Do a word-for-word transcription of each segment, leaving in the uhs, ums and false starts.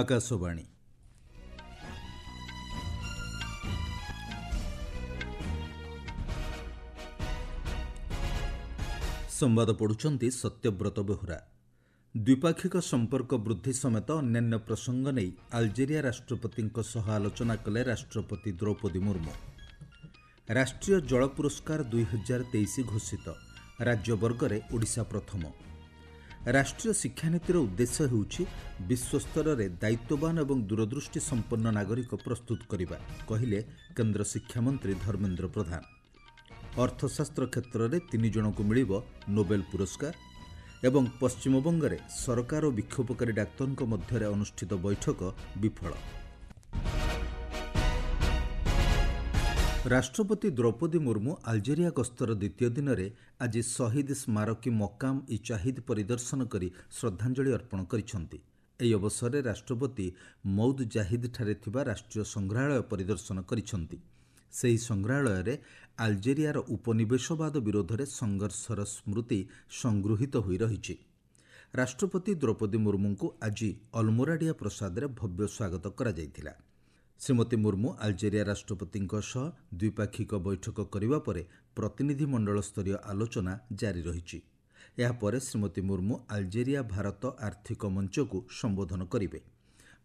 ଆକାଶବାଣୀ। ସମ୍ବାଦ ପଢ଼ୁଛନ୍ତି ସତ୍ୟବ୍ରତ ବେହୁରା। ଦ୍ୱିପାକ୍ଷିକ ସମ୍ପର୍କ ବୃଦ୍ଧି ସମେତ ଅନ୍ୟାନ୍ୟ ପ୍ରସଙ୍ଗ ନେଇ ଆଲଜେରିଆ ରାଷ୍ଟ୍ରପତିଙ୍କ ସହ ଆଲୋଚନା କଲେ ରାଷ୍ଟ୍ରପତି ଦ୍ରୌପଦୀ ମୁର୍ମୁ। ରାଷ୍ଟ୍ରୀୟ ଜଳ ପୁରସ୍କାର ଦୁଇହଜାର ତେଇଶ ଘୋଷିତ, ରାଜ୍ୟ ବର୍ଗରେ ଓଡ଼ିଶା ପ୍ରଥମ। ରାଷ୍ଟ୍ରୀୟ ଶିକ୍ଷାନୀତିର ଉଦ୍ଦେଶ୍ୟ ହେଉଛି ବିଶ୍ୱସ୍ତରରେ ଦାୟିତ୍ୱବାନ ଏବଂ ଦୂରଦୃଷ୍ଟି ସମ୍ପନ୍ନ ନାଗରିକ ପ୍ରସ୍ତୁତ କରିବା, କହିଲେ କେନ୍ଦ୍ର ଶିକ୍ଷାମନ୍ତ୍ରୀ ଧର୍ମେନ୍ଦ୍ର ପ୍ରଧାନ। ଅର୍ଥଶାସ୍ତ୍ର କ୍ଷେତ୍ରରେ ତିନି ଜଣଙ୍କୁ ମିଳିବ ନୋବେଲ ପୁରସ୍କାର ଏବଂ ପଶ୍ଚିମବଙ୍ଗରେ ସରକାର ଓ ବିକ୍ଷୋଭକାରୀ ଡାକ୍ତରଙ୍କ ମଧ୍ୟରେ ଅନୁଷ୍ଠିତ ବୈଠକ ବିଫଳ। ରାଷ୍ଟ୍ରପତି ଦ୍ରୌପଦୀ ମୁର୍ମୁ ଆଲଜେରିଆ ଗସ୍ତର ଦ୍ୱିତୀୟ ଦିନରେ ଆଜି ଶହୀଦ ସ୍ମାରକୀ ମକାମ ଇ ଚାହିଦ ପରିଦର୍ଶନ କରି ଶ୍ରଦ୍ଧାଞ୍ଜଳି ଅର୍ପଣ କରିଛନ୍ତି। ଏହି ଅବସରରେ ରାଷ୍ଟ୍ରପତି ମୌଦ ଜାହିଦଠାରେ ଥିବା ରାଷ୍ଟ୍ରୀୟ ସଂଗ୍ରହାଳୟ ପରିଦର୍ଶନ କରିଛନ୍ତି। ସେହି ସଂଗ୍ରହାଳୟରେ ଆଲଜେରିଆର ଉପନିବେଶବାଦ ବିରୋଧରେ ସଂଘର୍ଷର ସ୍ମୃତି ସଂଗୃହୀତ ହୋଇ ରହିଛି। ରାଷ୍ଟ୍ରପତି ଦ୍ରୌପଦୀ ମୁର୍ମୁଙ୍କୁ ଆଜି ଅଲମୋରାଡିଆ ପ୍ରସାଦରେ ଭବ୍ୟ ସ୍ୱାଗତ କରାଯାଇଥିଲା। ଶ୍ରୀମତୀ ମୁର୍ମୁ ଆଲଜେରିଆ ରାଷ୍ଟ୍ରପତିଙ୍କ ସହ ଦ୍ୱିପାକ୍ଷିକ ବୈଠକ କରିବା ପରେ ପ୍ରତିନିଧିମଣ୍ଡଳସ୍ତରୀୟ ଆଲୋଚନା ଜାରି ରହିଛି। ଏହାପରେ ଶ୍ରୀମତୀ ମୁର୍ମୁ ଆଲଜେରିଆ ଭାରତ ଆର୍ଥିକ ମଞ୍ଚକୁ ସମ୍ବୋଧନ କରିବେ।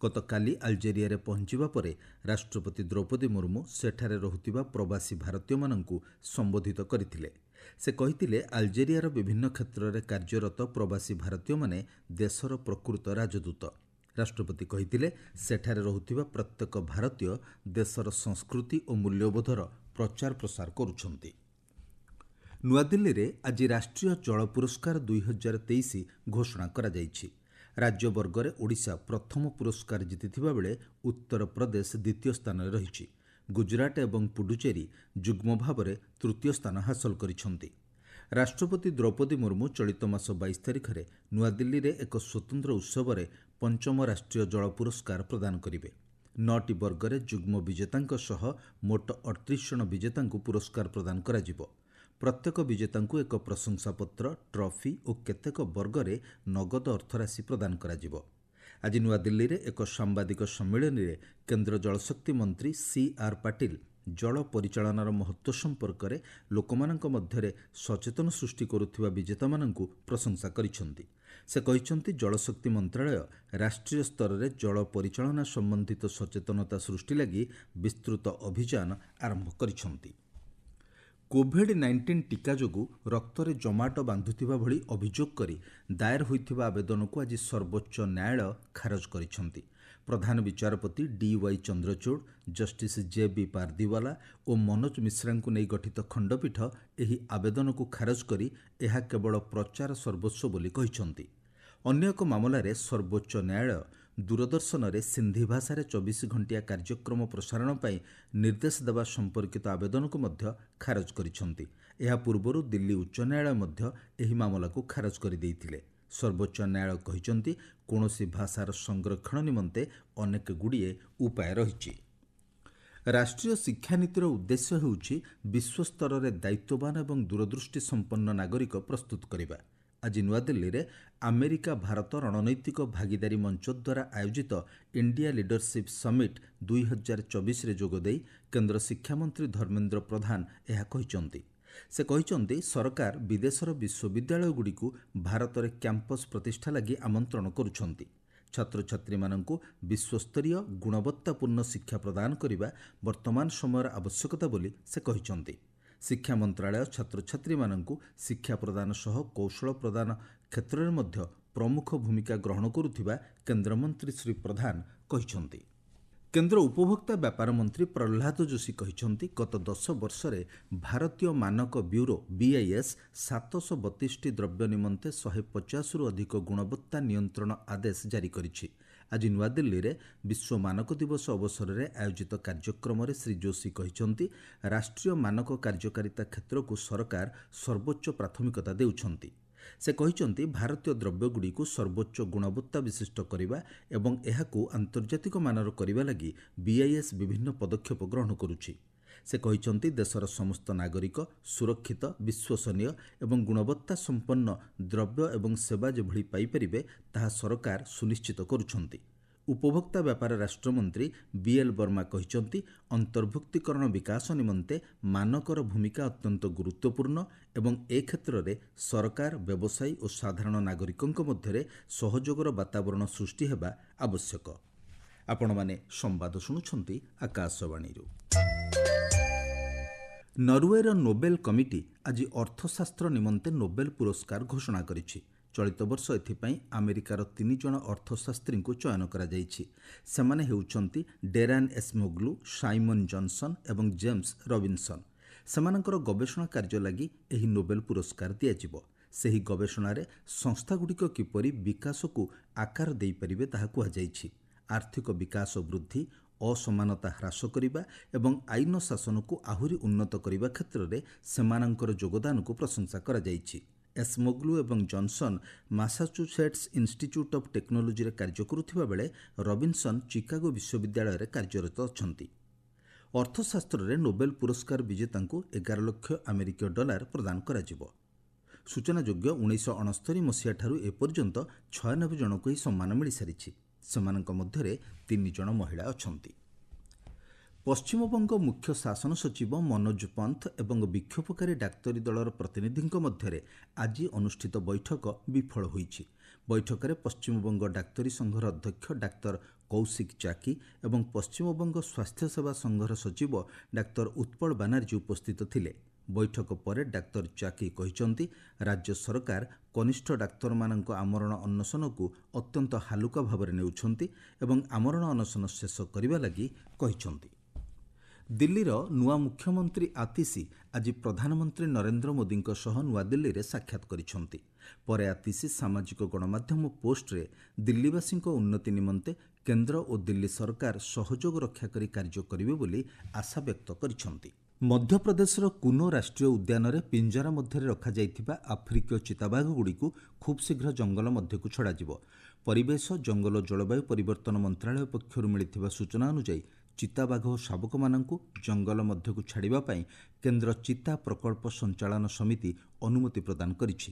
ଗତକାଲି ଆଲଜେରିଆରେ ପହଞ୍ଚିବା ପରେ ରାଷ୍ଟ୍ରପତି ଦ୍ରୌପଦୀ ମୁର୍ମୁ ସେଠାରେ ରହୁଥିବା ପ୍ରବାସୀ ଭାରତୀୟମାନଙ୍କୁ ସମ୍ବୋଧିତ କରିଥିଲେ। ସେ କହିଥିଲେ, ଆଲଜେରିଆର ବିଭିନ୍ନ କ୍ଷେତ୍ରରେ କାର୍ଯ୍ୟରତ ପ୍ରବାସୀ ଭାରତୀୟମାନେ ଦେଶର ପ୍ରକୃତ ରାଜଦୂତ। ରାଷ୍ଟ୍ରପତି କହିଥିଲେ, ସେଠାରେ ରହୁଥିବା ପ୍ରତ୍ୟେକ ଭାରତୀୟ ଦେଶର ସଂସ୍କୃତି ଓ ମୂଲ୍ୟବୋଧର ପ୍ରଚାର ପ୍ରସାର କରୁଛନ୍ତି। ନୂଆଦିଲ୍ଲୀରେ ଆଜି ରାଷ୍ଟ୍ରୀୟ ଜଳ ପୁରସ୍କାର ଦୁଇହଜାର ତେଇଶ ଘୋଷଣା କରାଯାଇଛି। ରାଜ୍ୟ ବର୍ଗରେ ଓଡ଼ିଶା ପ୍ରଥମ ପୁରସ୍କାର ଜିତିଥିବା ବେଳେ ଉତ୍ତରପ୍ରଦେଶ ଦ୍ୱିତୀୟ ସ୍ଥାନରେ ରହିଛି। ଗୁଜରାଟ ଏବଂ ପୁଡୁଚେରୀ ଯୁଗ୍ମ ଭାବରେ ତୃତୀୟ ସ୍ଥାନ ହାସଲ କରିଛନ୍ତି। ରାଷ୍ଟ୍ରପତି ଦ୍ରୌପଦୀ ମୁର୍ମୁ ଚଳିତ ମାସ ବାଇଶ ତାରିଖରେ ନୂଆଦିଲ୍ଲୀରେ ଏକ ସ୍ୱତନ୍ତ୍ର ଉତ୍ସବରେ ପଞ୍ଚମ ରାଷ୍ଟ୍ରୀୟ ଜଳ ପୁରସ୍କାର ପ୍ରଦାନ କରିବେ। ନଅଟି ବର୍ଗରେ ଯୁଗ୍ମ ବିଜେତାଙ୍କ ସହ ମୋଟ ଅଠତିରିଶ ଜଣ ବିଜେତାଙ୍କୁ ପୁରସ୍କାର ପ୍ରଦାନ କରାଯିବ। ପ୍ରତ୍ୟେକ ବିଜେତାଙ୍କୁ ଏକ ପ୍ରଶଂସାପତ୍ର, ଟ୍ରଫି ଓ କେତେକ ବର୍ଗରେ ନଗଦ ଅର୍ଥରାଶି ପ୍ରଦାନ କରାଯିବ। ଆଜି ନୂଆଦିଲ୍ଲୀରେ ଏକ ସାମ୍ବାଦିକ ସମ୍ମିଳନୀରେ କେନ୍ଦ୍ର ଜଳଶକ୍ତି ମନ୍ତ୍ରୀ ସି ଆର୍ ପାଟିଲ ଜଳ ପରିଚାଳନାର ମହତ୍ତ୍ୱ ସମ୍ପର୍କରେ ଲୋକମାନଙ୍କ ମଧ୍ୟରେ ସଚେତନ ସୃଷ୍ଟି କରୁଥିବା ବିଜେତାମାନଙ୍କୁ ପ୍ରଶଂସା କରିଛନ୍ତି। ସେ କହିଛନ୍ତି, ଜଳଶକ୍ତି ମନ୍ତ୍ରାଳୟ ରାଷ୍ଟ୍ରୀୟ ସ୍ତରରେ ଜଳ ପରିଚାଳନା ସମ୍ବନ୍ଧିତ ସଚେତନତା ସୃଷ୍ଟି ଲାଗି ବିସ୍ତୃତ ଅଭିଯାନ ଆରମ୍ଭ କରିଛନ୍ତି। କୋଭିଡ୍ ନାଇଣ୍ଟିନ୍ ଟିକା ଯୋଗୁଁ ରକ୍ତରେ ଜମାଟ ବାନ୍ଧୁଥିବା ଭଳି ଅଭିଯୋଗ କରି ଦାଏର ହୋଇଥିବା ଆବେଦନକୁ ଆଜି ସର୍ବୋଚ୍ଚ ନ୍ୟାୟାଳୟ ଖାରଜ କରିଛନ୍ତି। ପ୍ରଧାନ ବିଚାରପତି D Y Chandrachud, justice J B Pardiwala ଓ ମନୋଜ ମିଶ୍ରାଙ୍କୁ ନେଇ ଗଠିତ ଖଣ୍ଡପୀଠ ଏହି ଆବେଦନକୁ ଖାରଜ କରି ଏହା କେବଳ ପ୍ରଚାର ସର୍ବସ୍ୱ ବୋଲି କହିଛନ୍ତି। ଅନ୍ୟ ଏକ ମାମଲାରେ ସର୍ବୋଚ୍ଚ ନ୍ୟାୟାଳୟ ଦୂରଦର୍ଶନରେ ସିନ୍ଧି ଭାଷାରେ ଚବିଶ ଘଣ୍ଟିଆ କାର୍ଯ୍ୟକ୍ରମ ପ୍ରସାରଣ ପାଇଁ ନିର୍ଦ୍ଦେଶ ଦେବା ସମ୍ପର୍କିତ ଆବେଦନକୁ ମଧ୍ୟ ଖାରଜ କରିଛନ୍ତି। ଏହା ପୂର୍ବରୁ ଦିଲ୍ଲୀ ଉଚ୍ଚ ନ୍ୟାୟାଳୟ ମଧ୍ୟ ଏହି ମାମଲାକୁ ଖାରଜ କରିଦେଇଥିଲେ। ସର୍ବୋଚ୍ଚ ନ୍ୟାୟାଳୟ କହିଛନ୍ତି, କୌଣସି ଭାଷାର ସଂରକ୍ଷଣ ନିମନ୍ତେ ଅନେକ ଗୁଡ଼ିଏ ଉପାୟ ରହିଛି। ରାଷ୍ଟ୍ରୀୟ ଶିକ୍ଷାନୀତିର ଉଦ୍ଦେଶ୍ୟ ହେଉଛି ବିଶ୍ୱସ୍ତରରେ ଦାୟିତ୍ୱବାନ ଏବଂ ଦୂରଦୃଷ୍ଟି ସମ୍ପନ୍ନ ନାଗରିକ ପ୍ରସ୍ତୁତ କରିବା। ଆଜି ନୂଆଦିଲ୍ଲୀରେ ଆମେରିକା ଭାରତ ରଣନୈତିକ ଭାଗିଦାରୀ ମଞ୍ଚ ଦ୍ୱାରା ଆୟୋଜିତ ଇଣ୍ଡିଆ ଲିଡରସିପ୍ ସମିଟ୍ ଦୁଇହଜାର ଚବିଶରେ ଯୋଗଦେଇ କେନ୍ଦ୍ର ଶିକ୍ଷାମନ୍ତ୍ରୀ ଧର୍ମେନ୍ଦ୍ର ପ୍ରଧାନ ଏହା କହିଛନ୍ତି। ସେ କହିଛନ୍ତି, ସରକାର ବିଦେଶର ବିଶ୍ୱବିଦ୍ୟାଳୟଗୁଡ଼ିକୁ ଭାରତରେ କ୍ୟାମ୍ପସ୍ ପ୍ରତିଷ୍ଠା ଲାଗି ଆମନ୍ତ୍ରଣ କରୁଛନ୍ତି। ଛାତ୍ରଛାତ୍ରୀମାନଙ୍କୁ ବିଶ୍ୱସ୍ତରୀୟ ଗୁଣବତ୍ତାପୂର୍ଣ୍ଣ ଶିକ୍ଷା ପ୍ରଦାନ କରିବା ବର୍ତ୍ତମାନ ସମୟର ଆବଶ୍ୟକତା ବୋଲି ସେ କହିଛନ୍ତି। ଶିକ୍ଷା ମନ୍ତ୍ରାଳୟ ଛାତ୍ରଛାତ୍ରୀମାନଙ୍କୁ ଶିକ୍ଷା ପ୍ରଦାନ ସହ କୌଶଳ ପ୍ରଦାନ କ୍ଷେତ୍ରରେ ମଧ୍ୟ ପ୍ରମୁଖ ଭୂମିକା ଗ୍ରହଣ କରୁଥିବା କେନ୍ଦ୍ରମନ୍ତ୍ରୀ ଶ୍ରୀ ପ୍ରଧାନ କହିଛନ୍ତି। କେନ୍ଦ୍ର ଉପଭୋକ୍ତା ବ୍ୟାପାର ମନ୍ତ୍ରୀ ପ୍ରହ୍ଲାଦ ଯୋଶୀ କହିଛନ୍ତି, ଗତ ଦଶ ବର୍ଷରେ ଭାରତୀୟ ମାନକ ବ୍ୟୁରୋ ବିଆଇଏସ୍ ସାତଶହ ବତିଶଟି ଦ୍ରବ୍ୟ ନିମନ୍ତେ ଶହେ ପଚାଶରୁ ଅଧିକ ଗୁଣବତ୍ତା ନିୟନ୍ତ୍ରଣ ଆଦେଶ ଜାରି କରିଛି। ଆଜି ନୂଆଦିଲ୍ଲୀରେ ବିଶ୍ୱ ମାନକ ଦିବସ ଅବସରରେ ଆୟୋଜିତ କାର୍ଯ୍ୟକ୍ରମରେ ଶ୍ରୀ ଯୋଶୀ କହିଛନ୍ତି, ରାଷ୍ଟ୍ରୀୟ ମାନକ କାର୍ଯ୍ୟକାରିତା କ୍ଷେତ୍ରକୁ ସରକାର ସର୍ବୋଚ୍ଚ ପ୍ରାଥମିକତା ଦେଉଛନ୍ତି। ସେ କହିଛନ୍ତି, ଭାରତୀୟ ଦ୍ରବ୍ୟଗୁଡ଼ିକୁ ସର୍ବୋଚ୍ଚ ଗୁଣବତ୍ତା ବିଶିଷ୍ଟ କରିବା ଏବଂ ଏହାକୁ ଆନ୍ତର୍ଜାତିକ ମାନର କରିବା ଲାଗି ବିଆଇଏସ୍ ବିଭିନ୍ନ ପଦକ୍ଷେପ ଗ୍ରହଣ କରୁଛି। ସେ କହିଛନ୍ତି, ଦେଶର ସମସ୍ତ ନାଗରିକ ସୁରକ୍ଷିତ, ବିଶ୍ୱସନୀୟ ଏବଂ ଗୁଣବତ୍ତା ସମ୍ପନ୍ନ ଦ୍ରବ୍ୟ ଏବଂ ସେବା ଯେଭଳି ପାଇପାରିବେ ତାହା ସରକାର ସୁନିଶ୍ଚିତ କରୁଛନ୍ତି। ଉପଭୋକ୍ତା ବ୍ୟାପାର ରାଷ୍ଟ୍ରମନ୍ତ୍ରୀ ବିଏଲ୍ ବର୍ମା କହିଛନ୍ତି, ଅନ୍ତର୍ଭୁକ୍ତୀକରଣ ବିକାଶ ନିମନ୍ତେ ମାନକର ଭୂମିକା ଅତ୍ୟନ୍ତ ଗୁରୁତ୍ୱପୂର୍ଣ୍ଣ ଏବଂ ଏ କ୍ଷେତ୍ରରେ ସରକାର, ବ୍ୟବସାୟୀ ଓ ସାଧାରଣ ନାଗରିକଙ୍କ ମଧ୍ୟରେ ସହଯୋଗର ବାତାବରଣ ସୃଷ୍ଟି ହେବା ଆବଶ୍ୟକ। ଆପଣମାନେ ସମ୍ବାଦ ଶୁଣୁଛନ୍ତି ଆକାଶବାଣୀରୁ। ନରୱେର ନୋବେଲ କମିଟି ଆଜି ଅର୍ଥଶାସ୍ତ୍ର ନିମନ୍ତେ ନୋବେଲ ପୁରସ୍କାର ଘୋଷଣା କରିଛି। ଚଳିତ ବର୍ଷ ଏଥିପାଇଁ ଆମେରିକାର ତିନି ଜଣ ଅର୍ଥଶାସ୍ତ୍ରୀଙ୍କୁ ଚୟନ କରାଯାଇଛି। ସେମାନେ ହେଉଛନ୍ତି ଡେରାନ୍ ଏସ୍ମୋଗ୍ଲୁ, ସାଇମନ୍ ଜନସନ୍ ଏବଂ ଜେମ୍ସ ରବିନ୍ସନ୍। ସେମାନଙ୍କର ଗବେଷଣା କାର୍ଯ୍ୟ ଲାଗି ଏହି ନୋବେଲ ପୁରସ୍କାର ଦିଆଯିବ। ସେହି ଗବେଷଣାରେ ସଂସ୍ଥାଗୁଡ଼ିକ କିପରି ବିକାଶକୁ ଆକାର ଦେଇପାରିବେ ତାହା କୁହାଯାଇଛି। ଆର୍ଥିକ ବିକାଶ ବୃଦ୍ଧି, ଅସମାନତା ହ୍ରାସ କରିବା ଏବଂ ଆଇନ ଶାସନକୁ ଆହୁରି ଉନ୍ନତ କରିବା କ୍ଷେତ୍ରରେ ସେମାନଙ୍କର ଯୋଗଦାନକୁ ପ୍ରଶଂସା କରାଯାଇଛି। ଏସ୍ମୋଗ୍ଲୁ ଏବଂ ଜନସନ୍ ମାସାଚୁସେଟ୍ସ ଇନ୍ଷ୍ଟିଚ୍ୟୁଟ୍ ଅଫ୍ ଟେକ୍ନୋଲୋଜିରେ କାର୍ଯ୍ୟ କରୁଥିବା ବେଳେ ରବିନ୍ସନ୍ ଚିକାଗୋ ବିଶ୍ୱବିଦ୍ୟାଳୟରେ କାର୍ଯ୍ୟରତ ଅଛନ୍ତି। ଅର୍ଥଶାସ୍ତ୍ରରେ ନୋବେଲ ପୁରସ୍କାର ବିଜେତାଙ୍କୁ ଏଗାର ଲକ୍ଷ ଆମେରିକୀୟ ଡଲାର ପ୍ରଦାନ କରାଯିବ। ସୂଚନାଯୋଗ୍ୟ, ଉଣେଇଶହ ଅଣସ୍ତରୀ ମସିହାଠାରୁ ଏପର୍ଯ୍ୟନ୍ତ ଛୟାନବେ ଜଣଙ୍କୁ ଏହି ସମ୍ମାନ ମିଳିସାରିଛି। ସେମାନଙ୍କ ମଧ୍ୟରେ ତିନି ଜଣ ମହିଳା ଅଛନ୍ତି। ପଶ୍ଚିମବଙ୍ଗ ମୁଖ୍ୟ ଶାସନ ସଚିବ ମନୋଜ ପନ୍ଥ ଏବଂ ବିକ୍ଷୋଭକାରୀ ଡାକ୍ତରୀ ଦଳର ପ୍ରତିନିଧିଙ୍କ ମଧ୍ୟରେ ଆଜି ଅନୁଷ୍ଠିତ ବୈଠକ ବିଫଳ ହୋଇଛି। ବୈଠକରେ ପଶ୍ଚିମବଙ୍ଗ ଡାକ୍ତରୀ ସଂଘର ଅଧ୍ୟକ୍ଷ ଡାକ୍ତର କୌଶିକ ଚାକି ଏବଂ ପଶ୍ଚିମବଙ୍ଗ ସ୍ୱାସ୍ଥ୍ୟସେବା ସଂଘର ସଚିବ ଡାକ୍ତର ଉତ୍ପଳ ବାନାର୍ଜୀ ଉପସ୍ଥିତ ଥିଲେ। ବୈଠକ ପରେ ଡାକ୍ତର ଚାକି କହିଛନ୍ତି, ରାଜ୍ୟ ସରକାର କନିଷ୍ଠ ଡାକ୍ତରମାନଙ୍କ ଆମରଣ ଅନଶନକୁ ଅତ୍ୟନ୍ତ ହାଲୁକା ଭାବରେ ନେଉଛନ୍ତି ଏବଂ ଆମରଣ ଅନଶନ ଶେଷ କରିବା ଲାଗି କହିଛନ୍ତି। ଦିଲ୍ଲୀର ନୂଆ ମୁଖ୍ୟମନ୍ତ୍ରୀ ଆତିଶୀ ଆଜି ପ୍ରଧାନମନ୍ତ୍ରୀ ନରେନ୍ଦ୍ର ମୋଦିଙ୍କ ସହ ନୂଆଦିଲ୍ଲୀରେ ସାକ୍ଷାତ କରିଛନ୍ତି। ପରେ ଆତିଶୀ ସାମାଜିକ ଗଣମାଧ୍ୟମ ପୋଷ୍ଟରେ ଦିଲ୍ଲୀବାସୀଙ୍କ ଉନ୍ନତି ନିମନ୍ତେ କେନ୍ଦ୍ର ଓ ଦିଲ୍ଲୀ ସରକାର ସହଯୋଗ ରକ୍ଷା କରି କାର୍ଯ୍ୟ କରିବେ ବୋଲି ଆଶା ବ୍ୟକ୍ତ କରିଛନ୍ତି। ମଧ୍ୟପ୍ରଦେଶର କୁନୋ ରାଷ୍ଟ୍ରୀୟ ଉଦ୍ୟାନରେ ପିଞ୍ଜରା ମଧ୍ୟରେ ରଖାଯାଇଥିବା ଆଫ୍ରିକୀୟ ଚିତାବାଘଗୁଡ଼ିକୁ ଖୁବ୍ ଶୀଘ୍ର ଜଙ୍ଗଲ ମଧ୍ୟକୁ ଛଡ଼ାଯିବ। ପରିବେଶ, ଜଙ୍ଗଲ ଓ ଜଳବାୟୁ ପରିବର୍ତ୍ତନ ମନ୍ତ୍ରାଳୟ ପକ୍ଷରୁ ମିଳିଥିବା ସୂଚନା ଅନୁଯାୟୀ ଚିତାବାଘ ଓ ଶାବକମାନଙ୍କୁ ଜଙ୍ଗଲ ମଧ୍ୟକୁ ଛାଡ଼ିବା ପାଇଁ କେନ୍ଦ୍ର ଚିତା ପ୍ରକଳ୍ପ ସଞ୍ଚାଳନ ସମିତି ଅନୁମତି ପ୍ରଦାନ କରିଛି।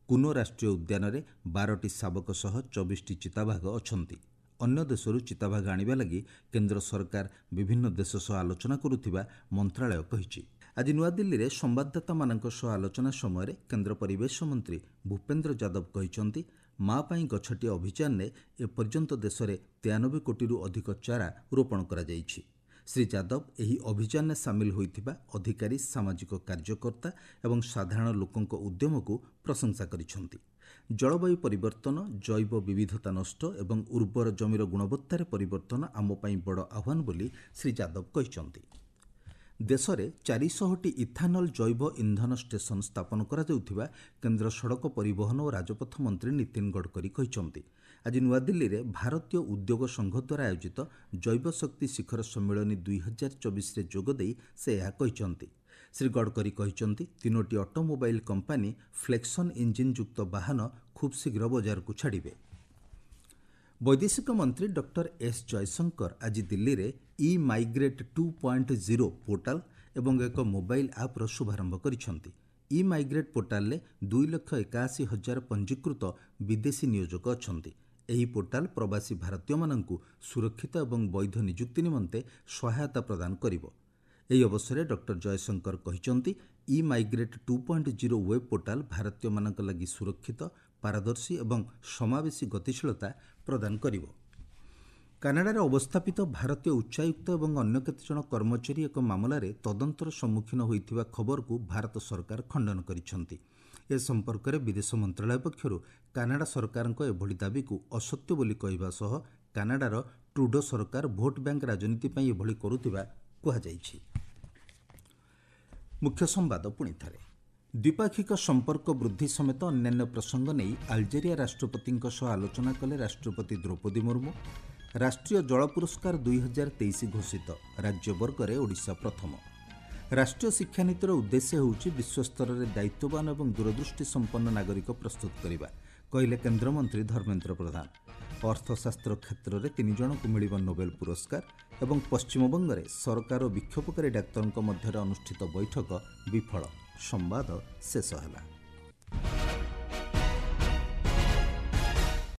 କୁନୋ ରାଷ୍ଟ୍ରୀୟ ଉଦ୍ୟାନରେ ବାରଟି ଶାବକ ସହ ଚବିଶଟି ଚିତାବାଘ ଅଛନ୍ତି। ଅନ୍ୟ ଦେଶରୁ ଚିତାବାଘ ଆଣିବା ଲାଗି କେନ୍ଦ୍ର ସରକାର ବିଭିନ୍ନ ଦେଶ ସହ ଆଲୋଚନା କରୁଥିବା ମନ୍ତ୍ରାଳୟ କହିଛି। ଆଜି ନୂଆଦିଲ୍ଲୀରେ ସମ୍ବାଦଦାତାମାନଙ୍କ ସହ ଆଲୋଚନା ସମୟରେ କେନ୍ଦ୍ର ପରିବେଶ ମନ୍ତ୍ରୀ ଭୂପେନ୍ଦ୍ର ଯାଦବ କହିଛନ୍ତି, ମା ପାଇଁ ଗଛଟିଏ ଅଭିଯାନରେ ଏପର୍ଯ୍ୟନ୍ତ ଦେଶରେ ତେୟାନବେ କୋଟିରୁ ଅଧିକ ଚାରା ରୋପଣ କରାଯାଇଛି। ଶ୍ରୀ ଯାଦବ ଏହି ଅଭିଯାନରେ ସାମିଲ ହୋଇଥିବା ଅଧିକାରୀ, ସାମାଜିକ କାର୍ଯ୍ୟକର୍ତ୍ତା ଏବଂ ସାଧାରଣ ଲୋକଙ୍କ ଉଦ୍ୟମକୁ ପ୍ରଶଂସା କରିଛନ୍ତି। ଜଳବାୟୁ ପରିବର୍ତ୍ତନ, ଜୈବ ବିବିଧତା ନଷ୍ଟ ଏବଂ ଉର୍ବର ଜମିର ଗୁଣବତ୍ତାରେ ପରିବର୍ତ୍ତନ ଆମ ପାଇଁ ବଡ଼ ଆହ୍ୱାନ ବୋଲି ଶ୍ରୀ ଯାଦବ କହିଛନ୍ତି। ଦେଶରେ ଚାରିଶହଟି ଇଥାନଲ ଜୈବ ଇନ୍ଧନ ଷ୍ଟେସନ ସ୍ଥାପନ କରାଯାଉଥିବା କେନ୍ଦ୍ର ସଡ଼କ ପରିବହନ ଓ ରାଜପଥ ମନ୍ତ୍ରୀ ନୀତିନ ଗଡ଼କରୀ କହିଛନ୍ତି। ଆଜି ନୂଆଦିଲ୍ଲୀରେ ଭାରତୀୟ ଉଦ୍ୟୋଗ ସଂଘ ଦ୍ୱାରା ଆୟୋଜିତ ଜୈବ ଶକ୍ତି ଶିଖର ସମ୍ମିଳନୀ ଦୁଇ ହଜାର ଚବିଶରେ ଯୋଗଦେଇ ସେ ଏହା କହିଛନ୍ତି। ଶ୍ରୀ ଗଡ଼କରୀ କହିଛନ୍ତି, ତିନୋଟି ଅଟୋମୋବାଇଲ କମ୍ପାନୀ ଫ୍ଲେକ୍ସନ୍ ଇଞ୍ଜିନ୍ ଯୁକ୍ତ ବାହନ ଖୁବ୍ ଶୀଘ୍ର ବଜାରକୁ ଛାଡ଼ିବେ। ବୈଦେଶିକ ମନ୍ତ୍ରୀ ଡକ୍ଟର ଏସ୍ ଜୟଶଙ୍କର ଆଜି ଦିଲ୍ଲୀରେ e migrate two point zero portal ଏବଂ ଏକ ମୋବାଇଲ ଆପ୍ର ଶୁଭାରମ୍ଭ କରିଛନ୍ତି। ଇ ମାଇଗ୍ରେଟ୍ ପୋର୍ଟାଲରେ ଦୁଇ ଲକ୍ଷ ଏକାଅଶୀ ହଜାର ପଞ୍ଜୀକୃତ ବିଦେଶୀ ନିୟୋଜକ ଅଛନ୍ତି। ଏହି ପୋର୍ଟାଲ ପ୍ରବାସୀ ଭାରତୀୟମାନଙ୍କୁ ସୁରକ୍ଷିତ ଏବଂ ବୈଧ ନିଯୁକ୍ତି ନିମନ୍ତେ ସହାୟତା ପ୍ରଦାନ କରିବ। ଏହି ଅବସରରେ ଡକ୍ଟର ଜୟଶଙ୍କର କହିଛନ୍ତି, e migrate two point zero web portal ଭାରତୀୟମାନଙ୍କ ଲାଗି ସୁରକ୍ଷିତ, ପାରଦର୍ଶୀ ଏବଂ ସମାବେଶୀ ଗତିଶୀଳତା ପ୍ରଦାନ କରିବ। କାନାଡାରେ ଅବସ୍ଥାପିତ ଭାରତୀୟ ଉଚ୍ଚାୟୁକ୍ତ ଏବଂ ଅନ୍ୟ କେତେଜଣ କର୍ମଚାରୀ ଏକ ମାମଲାରେ ତଦନ୍ତର ସମ୍ମୁଖୀନ ହୋଇଥିବା ଖବରକୁ ଭାରତ ସରକାର ଖଣ୍ଡନ କରିଛନ୍ତି। ଏ ସମ୍ପର୍କରେ ବିଦେଶ ମନ୍ତ୍ରାଳୟ ପକ୍ଷରୁ କାନାଡା ସରକାରଙ୍କ ଏଭଳି ଦାବିକୁ ଅସତ୍ୟ ବୋଲି କହିବା ସହ କାନାଡାର ଟ୍ରୁଡୋ ସରକାର ଭୋଟ ବ୍ୟାଙ୍କ ରାଜନୀତି ପାଇଁ ଏଭଳି କରୁଥିବା କୁହାଯାଇଛି। ମୁଖ୍ୟ ସମ୍ବାଦ ପୁଣି ଥରେ। ଦ୍ୱିପାକ୍ଷିକ ସମ୍ପର୍କ ବୃଦ୍ଧି ସମେତ ଅନ୍ୟାନ୍ୟ ପ୍ରସଙ୍ଗ ନେଇ ଆଲଜେରିଆ ରାଷ୍ଟ୍ରପତିଙ୍କ ସହ ଆଲୋଚନା କଲେ ରାଷ୍ଟ୍ରପତି ଦ୍ରୌପଦୀ ମୁର୍ମୁ। ରାଷ୍ଟ୍ରୀୟ ଜଳ ପୁରସ୍କାର ଦୁଇ ହଜାର ତେଇଶ ଘୋଷିତ, ରାଜ୍ୟ ବର୍ଗରେ ଓଡ଼ିଶା ପ୍ରଥମ। ରାଷ୍ଟ୍ରୀୟ ଶିକ୍ଷାନୀତିର ଉଦ୍ଦେଶ୍ୟ ହେଉଛି ବିଶ୍ୱସ୍ତରରେ ଦାୟିତ୍ୱବାନ ଏବଂ ଦୂରଦୃଷ୍ଟି ସମ୍ପନ୍ନ ନାଗରିକ ପ୍ରସ୍ତୁତ କରିବା, କହିଲେ କେନ୍ଦ୍ରମନ୍ତ୍ରୀ ଧର୍ମେନ୍ଦ୍ର ପ୍ରଧାନ। ଅର୍ଥଶାସ୍ତ୍ର କ୍ଷେତ୍ରରେ ତିନି ଜଣଙ୍କୁ ମିଳିବ ନୋବେଲ ପୁରସ୍କାର ଏବଂ ପଶ୍ଚିମବଙ୍ଗରେ ସରକାର ଓ ବିକ୍ଷୋଭକାରୀ ଡାକ୍ତରଙ୍କ ମଧ୍ୟରେ ଅନୁଷ୍ଠିତ ବୈଠକ ବିଫଳ। ସମ୍ବାଦ ଶେଷ ହେଲା।